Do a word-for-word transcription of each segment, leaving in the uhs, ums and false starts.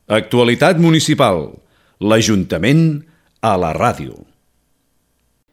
Actualitat municipal. L'Ajuntament a la ràdio.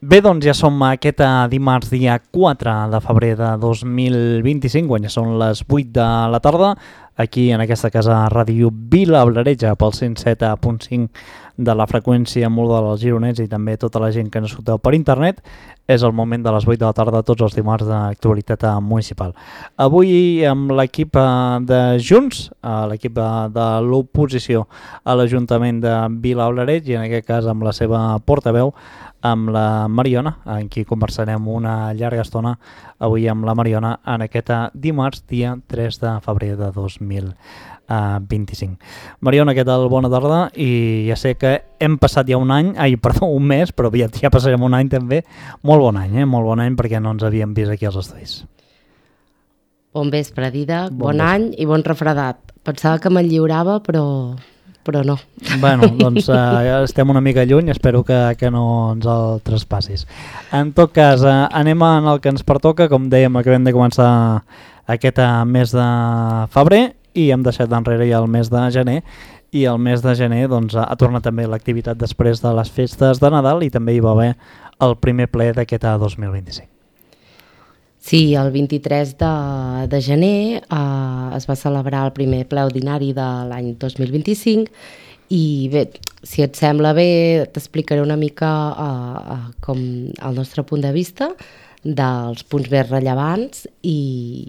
Bé, doncs ja som aquest dimarts dia quatre de febrer de dos mil vint-i-cinc, quan ja són les vuit de la tarda, aquí en aquesta casa Ràdio Vilablareix pel cent set punt cinc de la freqüència modulada dels gironets i també tota la gent que ens escolteu per internet. És el moment de les vuit de la tarda tots els dimarts d'actualitat municipal. Avui amb l'equip de Junts, l'equip de l'oposició a l'Ajuntament de Vilablareix i en aquest cas amb la seva portaveu, amb la Mariona, amb qui conversarem una llarga estona avui amb la Mariona en aquest dimarts, dia tres de febrer de dos mil vint-i-cinc. Mariona, què tal? Bona tarda. I ja sé que hem passat ja un any, ai, perdó, un mes, però ja, ja passarem un any també. Molt bon any, eh? Molt bon any perquè no ens havíem vist aquí als estudis. Bon vespre, Didac, bon, bon any i bon refredat. Pensava que me'n lliurava, però... però no. Bueno, doncs uh, estem una mica lluny, espero que, que no ens el traspassis. En tot cas, uh, anem en el que ens pertoca, com dèiem, acabem de començar aquest uh, mes de febrer i hem deixat d'enrere ja el mes de gener, i el mes de gener doncs, ha tornat també l'activitat després de les festes de Nadal i també hi va haver el primer ple d'aquest dos mil vint-i-cinc. Sí, el vint-i-tres de, de gener eh, es va celebrar el primer ple ordinari de l'any dos mil vint-i-cinc i bé, si et sembla bé, t'explicaré una mica eh, eh, com el nostre punt de vista dels punts més rellevants i,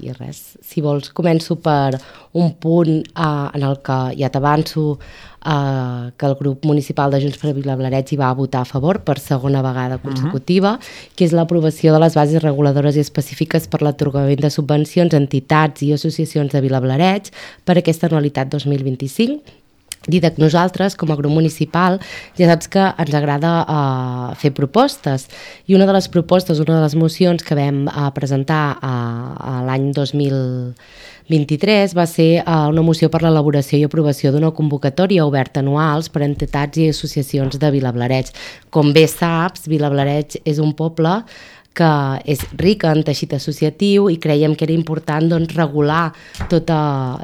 i res, si vols començo per un punt eh, en el que ja t'avanço eh, que el grup municipal de Junts per Vilablareix hi va votar a favor per segona vegada consecutiva, uh-huh. que és l'aprovació de les bases reguladores i específiques per l'atorgament de subvencions a entitats i associacions de Vilablareix per aquesta anualitat dos mil vint-i-cinc. Didac, nosaltres, com a grup municipal, ja saps que ens agrada uh, fer propostes i una de les propostes, una de les mocions que vam uh, presentar uh, l'any dos mil vint-i-tres va ser uh, una moció per l'elaboració i aprovació d'una convocatòria oberta anuals per a entitats i associacions de Vilablareix. Com bé saps, Vilablareix és un poble que és rica en teixit associatiu i creiem que era important doncs, regular tota,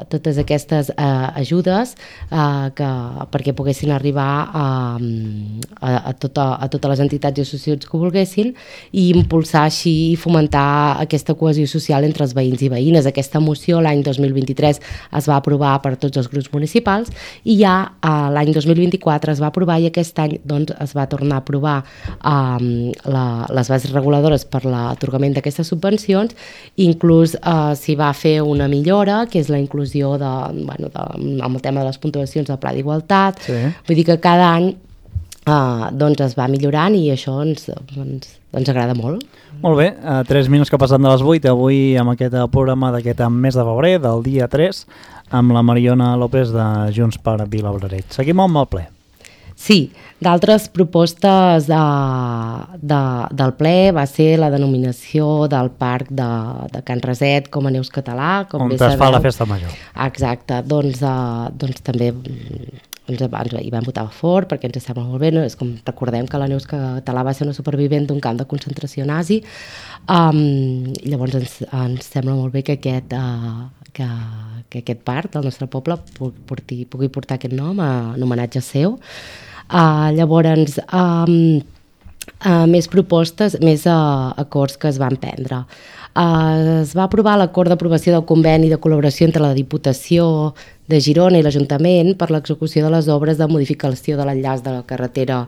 totes aquestes eh, ajudes eh, que, perquè poguessin arribar a, a, a, tota, a totes les entitats i associacions que volguessin i impulsar així i fomentar aquesta cohesió social entre els veïns i veïnes. Aquesta moció l'any dos mil vint-i-tres es va aprovar per tots els grups municipals i ja eh, l'any dos mil vint-i-quatre es va aprovar i aquest any doncs, es va tornar a aprovar eh, la, les bases reguladores per l'atorgament d'aquestes subvencions, inclús eh, s'hi va fer una millora, que és la inclusió de, bueno, de, amb el tema de les puntuacions del Pla d'Igualtat. Sí. Vull dir que cada any eh, doncs es va millorant i això ens, ens, ens agrada molt. Molt bé, uh, tres minuts que passen de les vuit, avui amb aquest programa d'aquest mes de febrer, del dia tres, amb la Mariona López de Junts per Vilablareix. Seguim amb el ple. Sí, d'altres propostes de, de, del ple va ser la denominació del parc de, de Can Raset com a Neus Català. Com on es sabeu. Fa la festa major. Exacte, doncs, uh, doncs també ens, ens hi vam votar a favor perquè ens sembla molt bé, no? És com recordem que la Neus Català va ser una supervivent d'un camp de concentració nazi, um, llavors ens, ens sembla molt bé que aquest... Uh, que, que aquest parc del nostre poble pugui, pugui portar aquest nom en homenatge seu. Uh, llavors, um, uh, més propostes, més uh, acords que es van prendre. Uh, es va aprovar l'acord d'aprovació del conveni de col·laboració entre la Diputació de Girona i l'Ajuntament per l'execució de les obres de modificació de l'enllaç de la carretera,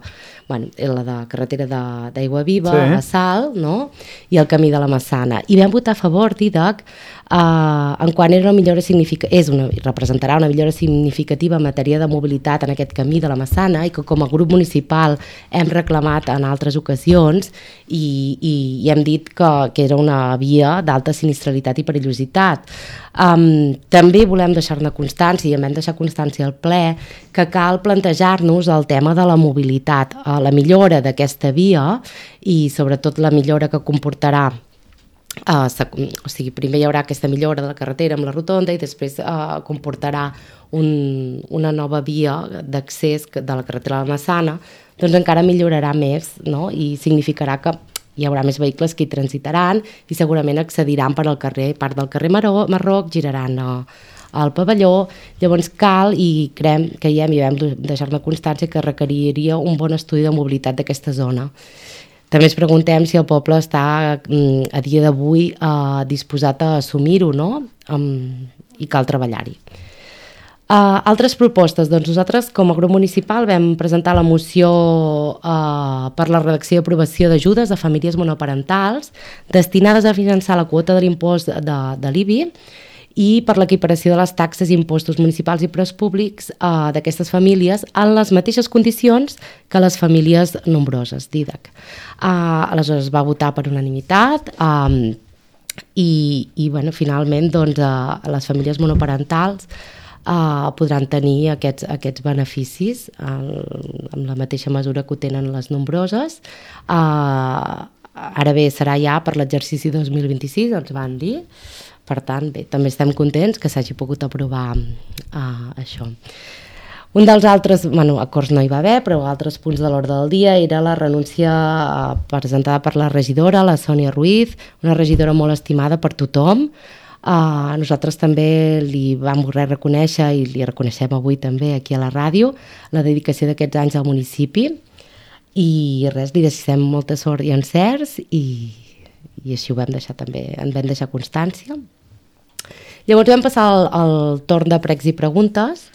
bueno, la de carretera d'Aigua Viva, sí. a Salt, no? I el camí de la Massana. I vam votar a favor, Didac, eh, en quan era una millora significativa, és una, representarà una millora significativa en matèria de mobilitat en aquest camí de la Massana i que com a grup municipal hem reclamat en altres ocasions i, i, i hem dit que, que era una via d'alta sinistralitat i perillositat. Um, també volem deixar-ne constància i hem de deixar constància al ple que cal plantejar-nos el tema de la mobilitat, uh, la millora d'aquesta via i sobretot la millora que comportarà uh, o sigui, primer hi haurà aquesta millora de la carretera amb la rotonda i després uh, comportarà un, una nova via d'accés de la carretera de la Massana, doncs encara millorarà més, no? I significarà que hi haurà més vehicles que hi transitaran i segurament accediran per al carrer, part del carrer Maró, Marroc, giraran a, al pavelló, llavors cal i creiem, creiem i vam deixar-ne constància que requeriria un bon estudi de mobilitat d'aquesta zona. També ens preguntem si el poble està a dia d'avui eh, disposat a assumir-ho, no? Um, i cal treballar-hi. Uh, altres propostes, doncs nosaltres com a grup municipal vam presentar la moció uh, per la redacció i aprovació d'ajudes a famílies monoparentals destinades a finançar la quota de l'impost de, de l'I B I i per l'equiparació de les taxes i impostos municipals i preus públics uh, d'aquestes famílies en les mateixes condicions que les famílies nombroses, Didac. Uh, aleshores es va votar per unanimitat um, i, i bueno, finalment doncs, uh, les famílies monoparentals Uh, podran tenir aquests, aquests beneficis uh, amb la mateixa mesura que ho tenen les nombroses. Uh, ara bé, serà ja per l'exercici dos mil vint-i-sis, ens van dir. Per tant, bé, també estem contents que s'hagi pogut aprovar uh, això. Un dels altres, bueno, acords no hi va haver, però altres punts de l'ordre del dia era la renúncia uh, presentada per la regidora, la Sònia Ruiz, una regidora molt estimada per tothom. Uh, nosaltres també li vam voler reconèixer i li reconeixem avui també aquí a la ràdio la dedicació d'aquests anys al municipi i res, li desitgem molta sort i encerts i, i així ho vam deixar també, en vam deixar constància. Llavors vam passar al, al torn de pregs i preguntes.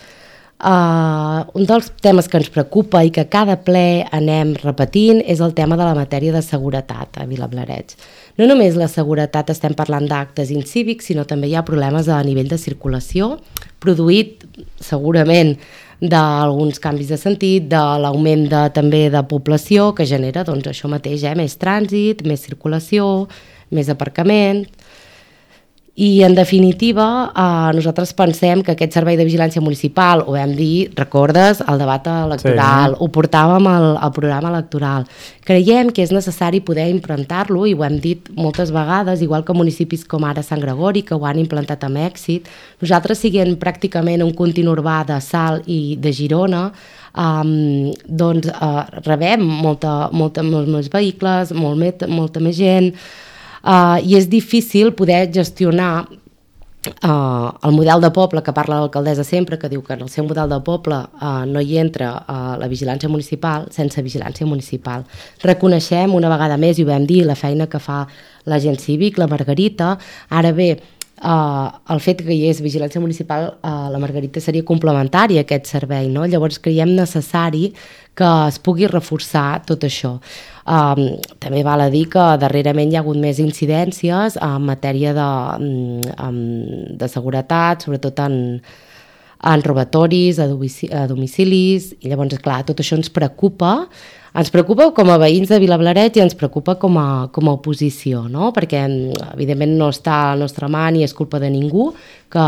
Uh, un dels temes que ens preocupa i que cada ple anem repetint és el tema de la matèria de seguretat a Vilablareix. No només la seguretat estem parlant d'actes incívics, sinó també hi ha problemes a nivell de circulació, produït segurament d'alguns canvis de sentit, de l'augment de, també de població que genera doncs, això mateix, eh? Més trànsit, més circulació, més aparcament. I en definitiva eh, nosaltres pensem que aquest servei de vigilància municipal, ho vam dir, recordes, el debat electoral, sí. Ho portàvem al, al programa electoral. Creiem que és necessari poder implantar-lo i ho hem dit moltes vegades, igual que municipis com ara Sant Gregori, que ho han implantat amb èxit. Nosaltres, siguent pràcticament un continu urbà de Salt i de Girona, um, doncs uh, rebem molta, molta, molts més vehicles, molt met, molta més gent, Uh, i és difícil poder gestionar uh, el model de poble que parla l'alcaldessa sempre, que diu que en el seu model de poble uh, no hi entra uh, la vigilància municipal sense vigilància municipal. Reconeixem una vegada més, i ho vam dir, la feina que fa l'agent cívic, la Margarita. Ara bé, Uh, el fet que hi és vigilància municipal, uh, la Margarita seria complementari a aquest servei, no? Llavors creiem necessari que es pugui reforçar tot això. Um, també val a dir que darrerament hi ha hagut més incidències en matèria de, um, de seguretat, sobretot en, en robatoris, a domicili, a domicilis, i llavors, clar, tot això ens preocupa. Ens preocupa com a veïns de Vilablareix i ens preocupa com a, com a oposició, no? Perquè evidentment no està a la nostra mà ni és culpa de ningú, que,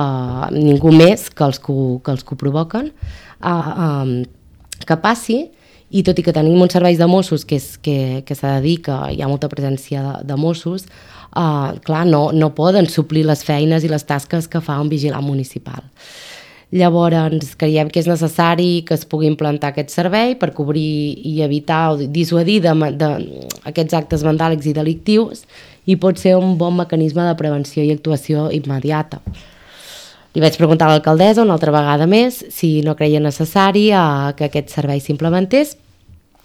ningú més que els que, que, els que ho provoquen, uh, um, que passi, i tot i que tenim uns serveis de Mossos que, és, que, que s'ha de dir que hi ha molta presència de, de Mossos, uh, clar, no, no poden suplir les feines i les tasques que fa un vigilant municipal. Llavors creiem que és necessari que es pugui implantar aquest servei per cobrir i evitar o dissuadir de, de, aquests actes vandàlics i delictius, i pot ser un bon mecanisme de prevenció i actuació immediata. Li vaig preguntar a l'alcaldessa una altra vegada més si no creia necessari eh, que aquest servei s'implementés.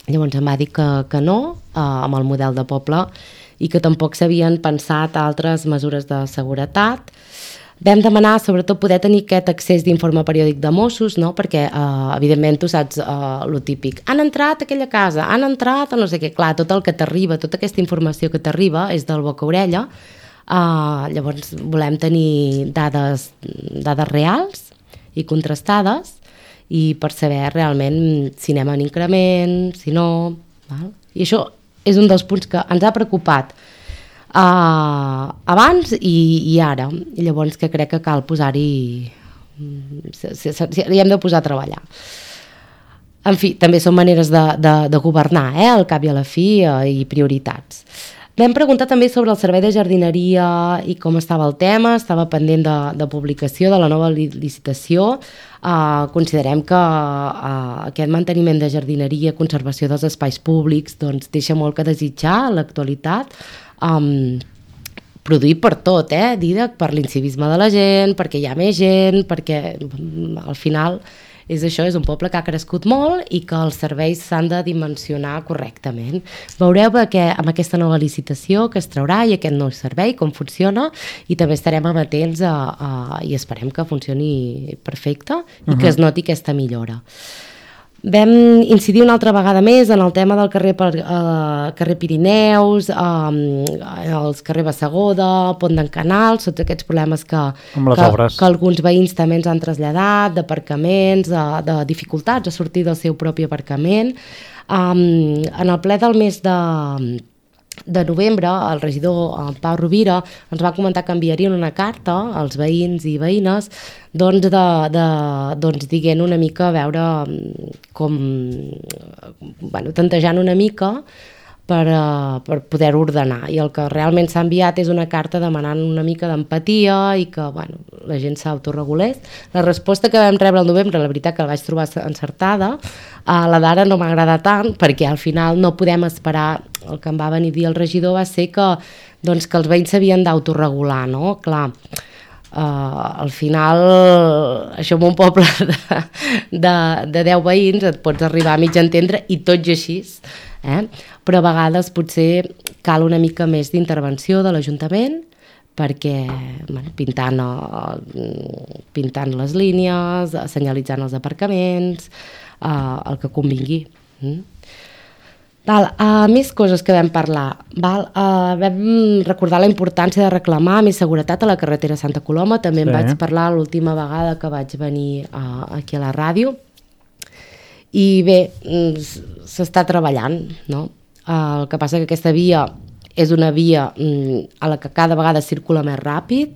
Llavors em va dir que, que no, eh, amb el model de poble, i que tampoc s'havien pensat altres mesures de seguretat. Vam demanar, sobretot, poder tenir aquest accés d'informe periòdic de Mossos, no? Perquè, eh, evidentment, tu saps eh, lo típic. Han entrat a aquella casa, han entrat a no sé què. Clar, tot el que t'arriba, tota aquesta informació que t'arriba és del boca a orella. Eh, llavors, volem tenir dades, dades reals i contrastades, i per saber realment si anem en increment, si no... Val? I això és un dels punts que ens ha preocupat Uh, abans i, i ara. I llavors que crec que cal posar-hi, hi hem de posar a treballar. En fi, també són maneres de, de, de governar, eh, al cap i a la fi, uh, i prioritats. Vam preguntar també sobre el servei de jardineria i com estava el tema. Estava pendent de, de publicació de la nova licitació. Uh, considerem que uh, aquest manteniment de jardineria, conservació dels espais públics, doncs deixa molt que desitjar a l'actualitat. Um, produït per tot, eh, Didac, per l'incivisme de la gent, perquè hi ha més gent, perquè al final és això, és un poble que ha crescut molt i que els serveis s'han de dimensionar correctament. Veureu que amb aquesta nova licitació que es traurà i aquest nou servei, com funciona, i també estarem amatents a, a, i esperem que funcioni perfecte i uh-huh. que es noti aquesta millora. Vam incidir una altra vegada més en el tema del carrer, uh, carrer Pirineus, uh, els carrer Bassegoda, Pont d'en Canals, tots aquests problemes que, que, que alguns veïns també ens han traslladat, d'aparcaments, de, de dificultats a sortir del seu propi aparcament. Um, en el ple del mes de... de novembre, el regidor el Pau Rovira ens va comentar que enviarien una carta als veïns i veïnes doncs, de, de, doncs diguent una mica a veure com, bueno, tantejant una mica per, uh, per poder ordenar, i el que realment s'ha enviat és una carta demanant una mica d'empatia i que bueno, la gent s'autoregulés. La resposta que vam rebre el novembre, la veritat que la vaig trobar encertada, uh, la d'ara no m'agrada tant perquè al final no podem esperar. El que em va venir a dir el regidor va ser que, doncs, que els veïns s'havien d'autoregular, no? Clar, uh, al final, això en un poble de, de, de deu veïns et pots arribar a mig entendre i tot i així, eh? Però a vegades potser cal una mica més d'intervenció de l'Ajuntament perquè bueno, pintant, pintant les línies, senyalitzant els aparcaments, uh, el que convingui. Mm? Val, uh, més coses que vam parlar. Val, uh, vam recordar la importància de reclamar més seguretat a la carretera Santa Coloma. També sí. En vaig parlar l'última vegada que vaig venir uh, aquí a la ràdio. I bé, s'està treballant, no? Uh, el que passa que aquesta via és una via um, a la que cada vegada circula més ràpid,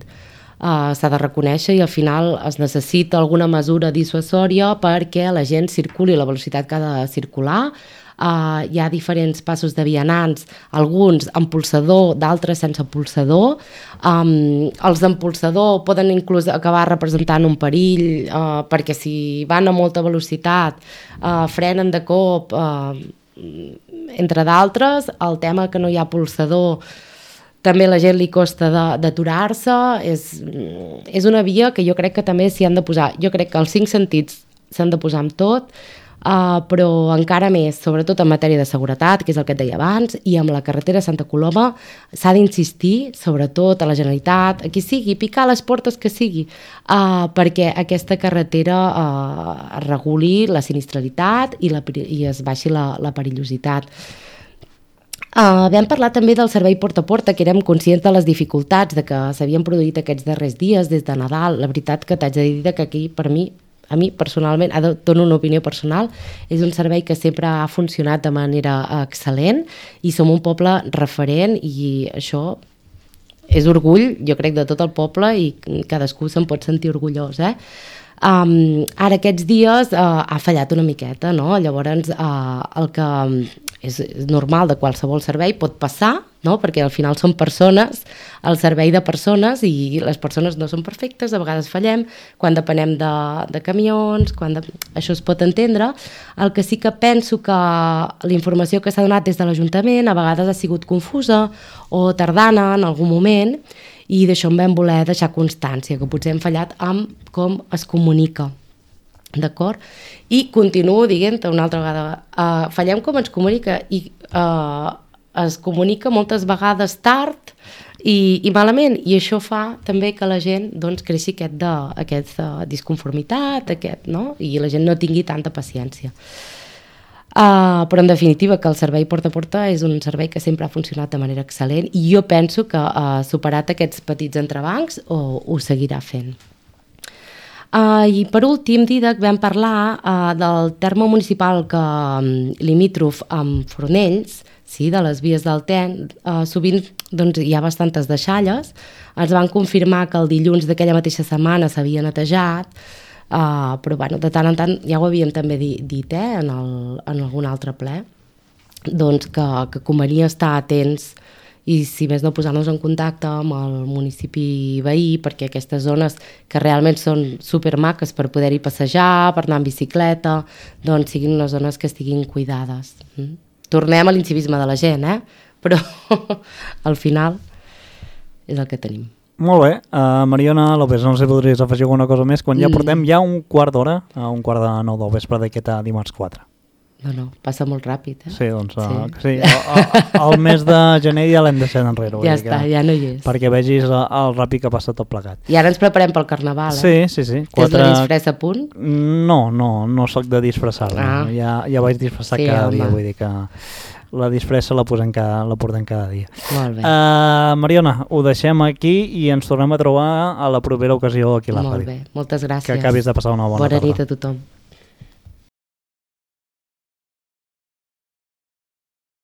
uh, s'ha de reconèixer, i al final es necessita alguna mesura dissuasòria perquè la gent circuli a la velocitat que ha de circular. Uh, hi ha diferents passos de vianants, alguns amb pulsador, d'altres sense pulsador. Um, els amb pulsador poden inclús acabar representant un perill uh, perquè si van a molta velocitat uh, frenen de cop, uh, entre d'altres. El tema que no hi ha pulsador també a la gent li costa d'aturar-se. És, és una via que jo crec que també s'hi han de posar. Jo crec que els cinc sentits s'han de posar amb tot, Uh, però encara més, sobretot en matèria de seguretat, que és el que et deia abans, i amb la carretera Santa Coloma s'ha d'insistir, sobretot a la Generalitat, a qui sigui, picar les portes que sigui, uh, perquè aquesta carretera uh, reguli la sinistralitat i, la, i es baixi la, la perillositat. Uh, vam parlar també del servei porta a porta, que érem conscients de les dificultats de que s'havien produït aquests darrers dies des de Nadal. La veritat que t'haig de dir que aquí, per mi, a mi personalment, dono una opinió personal, és un servei que sempre ha funcionat de manera excel·lent i som un poble referent, i això és orgull, jo crec, de tot el poble, i cadascú se'n pot sentir orgullós, eh? Um, ara aquests dies uh, ha fallat una miqueta, no? Llavors uh, el que és, és normal de qualsevol servei pot passar, no? Perquè al final són persones, el servei de persones, i les persones no són perfectes, a vegades fallem quan depenem de, de camions, quan de... això es pot entendre. El que sí que penso que la informació que s'ha donat des de l'Ajuntament a vegades ha sigut confusa o tardana en algun moment, i d'això en vam voler deixar constància, que potser hem fallat amb com es comunica, d'acord? I continuo dient una altra vegada, uh, fallem com es comunica, i uh, es comunica moltes vegades tard i, i malament, i això fa també que la gent doncs, creixi aquest de, aquesta disconformitat, aquest, no? I la gent no tingui tanta paciència. Uh, però en definitiva que el servei porta a porta és un servei que sempre ha funcionat de manera excel·lent, i jo penso que ha uh, superat aquests petits entrebancs o ho seguirà fent. Uh, I per últim, Didac, vam parlar uh, del terme municipal que um, limítrof amb Fornells, sí, de les vies del Ten, uh, sovint doncs, hi ha bastantes deixalles. Ens van confirmar que el dilluns d'aquella mateixa setmana s'havia netejat, Uh, però bueno, de tant en tant ja ho havíem també dit, dit eh, en, el, en algun altre ple, doncs que, que convenia estar atents i si més no posar-nos en contacte amb el municipi veí, perquè aquestes zones que realment són supermaques per poder-hi passejar, per anar en bicicleta, doncs siguin unes zones que estiguin cuidades. Mm? Tornem a l'incivisme de la gent, eh? Però al final és el que tenim. Molt bé. Uh, Mariona López, no sé si podries afegir alguna cosa més, quan ja portem ja un quart d'hora, a un quart de nou del vespre d'aquest dimarts quatre. No, no, passa molt ràpid, eh? Sí, doncs uh, sí. sí, el, el mes de gener ja l'hem deixat enrere. Ja està, que, ja no hi és. Perquè vegis el, el ràpid que passa tot plegat. I ara ens preparem pel carnaval, eh? Sí, sí, sí. Quatre... Tens la disfressa a punt? No, no, no soc de disfressar-me. Ah. Ja, ja vaig disfressar sí, cada home. dia, vull dir que la disfressa la posem cada, la portem cada dia. Molt bé. Uh, Mariona, ho deixem aquí i ens tornem a trobar a la propera ocasió aquí a la Molt ràdio. bé, moltes gràcies. Que acabis de passar una bona, bona tarda. Bona nit a tothom.